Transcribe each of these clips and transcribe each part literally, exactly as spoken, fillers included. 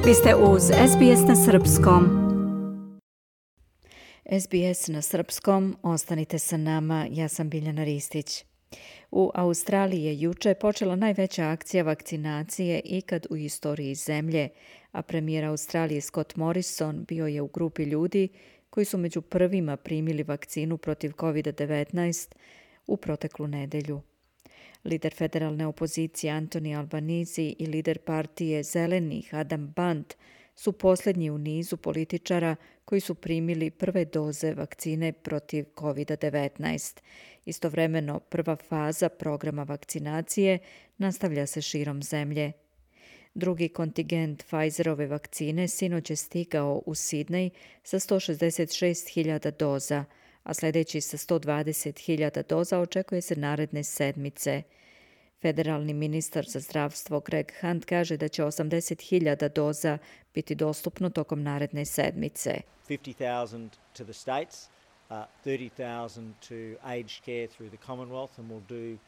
Vi ste uz S B S na srpskom. S B S na srpskom, ostanite sa nama, ja sam Biljana Ristić. U Australiji je juče počela najveća akcija vakcinacije ikad u istoriji zemlje, a premijer Australije Scott Morrison bio je u grupi ljudi koji su među prvima primili vakcinu protiv covid devetnaest u proteklu nedelju. Lider federalne opozicije Anthony Albanese i lider partije Zelenih Adam Band su posljednji u nizu političara koji su primili prve doze vakcine protiv covid devetnaest. Istovremeno, prva faza programa vakcinacije nastavlja se širom zemlje. Drugi kontingent Pfizerove vakcine sinoć je stigao u Sidney sa sto šezdeset šest hiljada doza, a sljedeći sa sto dvadeset hiljada doza očekuje se naredne sedmice. Federalni ministar za zdravstvo Greg Hunt kaže da će osamdeset hiljada doza biti dostupno tokom naredne sedmice. fifty thousand to the states, uh, thirty thousand to aged care through the Commonwealth, and we'll do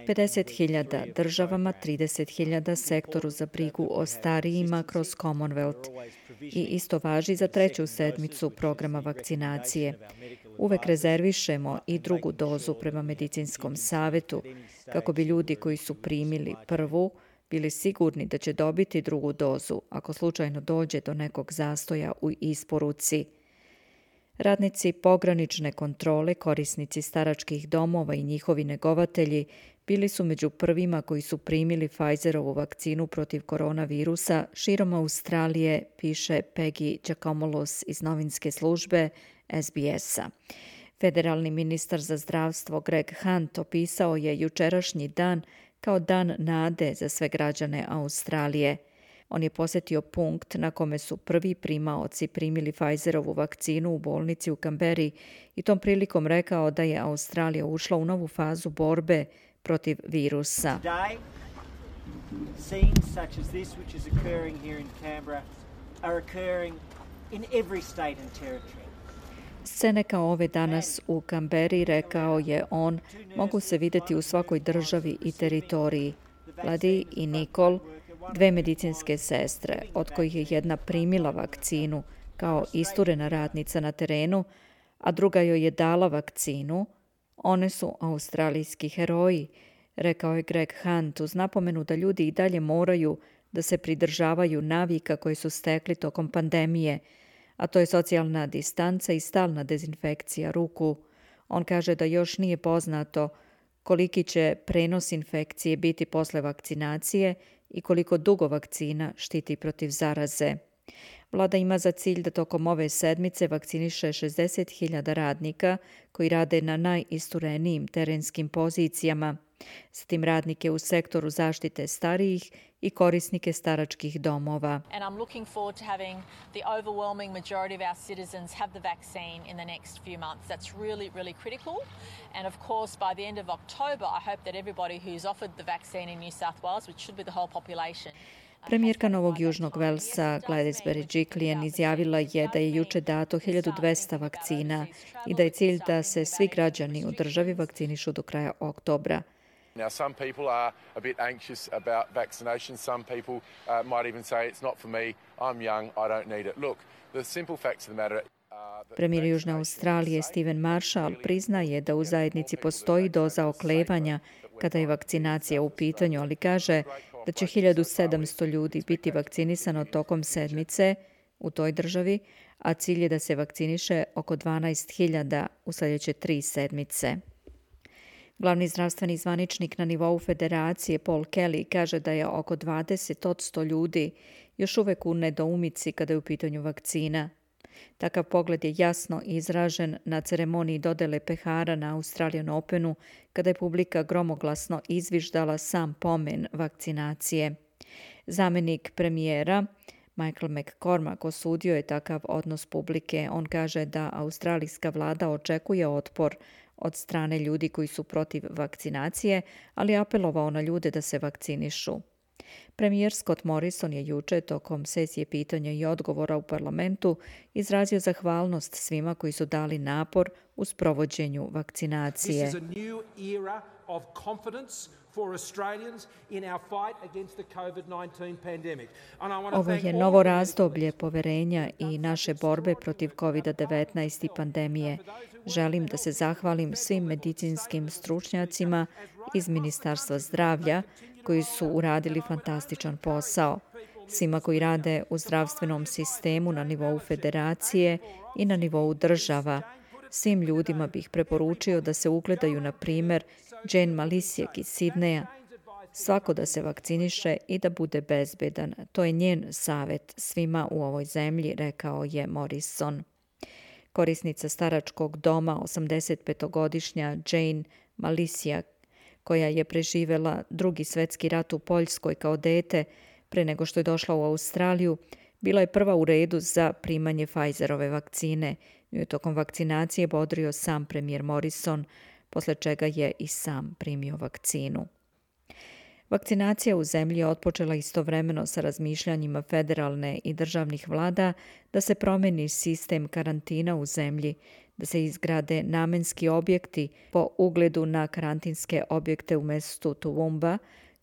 pedeset hiljada državama, trideset hiljada sektoru za brigu o starijima kroz Commonwealth. I isto važi za treću sedmicu programa vakcinacije. Uvek rezervišemo i drugu dozu prema medicinskom savjetu, kako bi ljudi koji su primili prvu bili sigurni da će dobiti drugu dozu ako slučajno dođe do nekog zastoja u isporuci. Radnici pogranične kontrole, korisnici staračkih domova i njihovi negovatelji bili su među prvima koji su primili Pfizerovu vakcinu protiv koronavirusa širom Australije, piše Peggy Giacomolos iz novinske službe S B S-a. Federalni ministar za zdravstvo Greg Hunt opisao je jučerašnji dan kao dan nade za sve građane Australije. On je posjetio punkt na kome su prvi primaoci primili Pfizerovu vakcinu u bolnici u Canberri i tom prilikom rekao da je Australija ušla u novu fazu borbe protiv virusa. Today, scenes such as this which is occurring here in Canberra are occurring in every state and territory. Scene kao ove danas u Canberri, rekao je on, mogu se vidjeti u svakoj državi i teritoriji. Ladi i Nicole, dve medicinske sestre, od kojih je jedna primila vakcinu kao isturena radnica na terenu, a druga joj je dala vakcinu, one su australijski heroji, rekao je Greg Hunt uz napomenu da ljudi i dalje moraju da se pridržavaju navika koje su stekli tokom pandemije, a to je socijalna distanca i stalna dezinfekcija ruku. On kaže da još nije poznato koliki će prenos infekcije biti posle vakcinacije i koliko dugo vakcina štiti protiv zaraze. Vlada ima za cilj da tokom ove sedmice vakciniše šezdeset hiljada radnika koji rade na najisturenijim terenskim pozicijama, zatim radnike u sektoru zaštite starijih i korisnike staračkih domova. And I'm looking forward to having the overwhelming majority of our citizens have the vaccine in the next few months. That's really, really critical. And of course, by the end of October, I hope that everybody who's offered the vaccine in New South Wales, which should be the whole population. Premijerka Novog Južnog Velsa Gladys Berejiklian izjavila je da je juče dato hiljadu dvesta vakcina i da je cilj da se svi građani u državi vakcinišu do kraja oktobra. Now, some people are a bit anxious about vaccination. Some people uh, might even say it's not for me. I'm young. I don't need it. Look, the simple facts of the matter. Premijer Južne Australije Stephen Marshall priznaje da u zajednici postoji doza oklevanja kada je vakcinacija u pitanju, ali kaže da će hiljadu sedamsto ljudi biti vakcinisano tokom sedmice u toj državi, a cilj je da se vakciniše oko dvanaest hiljada u sljedeće tri sedmice. Glavni zdravstveni zvaničnik na nivou federacije Paul Kelly kaže da je oko dvadeset posto ljudi još uvek u nedoumici kada je u pitanju vakcina. Takav pogled je jasno izražen na ceremoniji dodele pehara na Australian Openu, kada je publika gromoglasno izviždala sam pomen vakcinacije. Zamenik premijera Michael McCormack osudio je takav odnos publike. On kaže da australijska vlada očekuje otpor od strane ljudi koji su protiv vakcinacije, ali apelovao na ljude da se vakcinišu. Premijer Scott Morrison je juče tokom sesije pitanja i odgovora u parlamentu izrazio zahvalnost svima koji su dali napor u sprovođenju vakcinacije. This is a new era of confidence Ovo je novo razdoblje poverenja i naše borbe protiv kovid devetnaest i pandemije. Želim da se zahvalim svim medicinskim stručnjacima iz Ministarstva zdravlja koji su uradili fantastičan posao. Svima koji rade u zdravstvenom sistemu na nivou federacije i na nivou država. Svim ljudima bih preporučio da se ugledaju na primer Jane Malisijek iz Sidneja. Svako da se vakciniše i da bude bezbedan. To je njen savjet svima u ovoj zemlji, rekao je Morrison. Korisnica staračkog doma, osamdesetpetogodišnja Jane Malisijek, koja je preživela drugi svetski rat u Poljskoj kao dete pre nego što je došla u Australiju, bila je prva u redu za primanje Pfizerove vakcine. Nju je tokom vakcinacije bodrio sam premijer Morrison, posle čega je i sam primio vakcinu. Vakcinacija u zemlji je otpočela istovremeno sa razmišljanjima federalne i državnih vlada da se promeni sistem karantina u zemlji, da se izgrade namenski objekti po ugledu na karantinske objekte u mestu Toowoomba,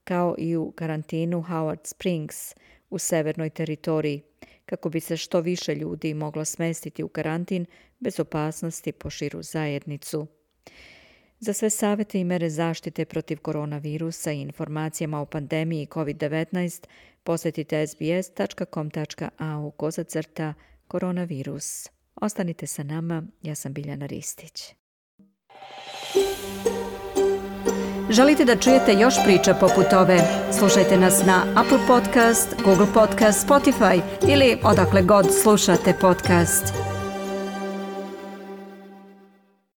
kao i u karantinu Howard Springs u severnoj teritoriji, kako bi se što više ljudi moglo smestiti u karantin bez opasnosti po širu zajednicu. Za sve savjete i mere zaštite protiv koronavirusa i informacijama o pandemiji kovid devetnaest posjetite s b s tačka com tačka a u kozacrta koronavirus. Ostanite sa nama, ja sam Biljana Ristić. Želite da čujete još priča poput ove? Slušajte nas na Apple Podcast, Google Podcast, Spotify ili odakle god slušate podcast.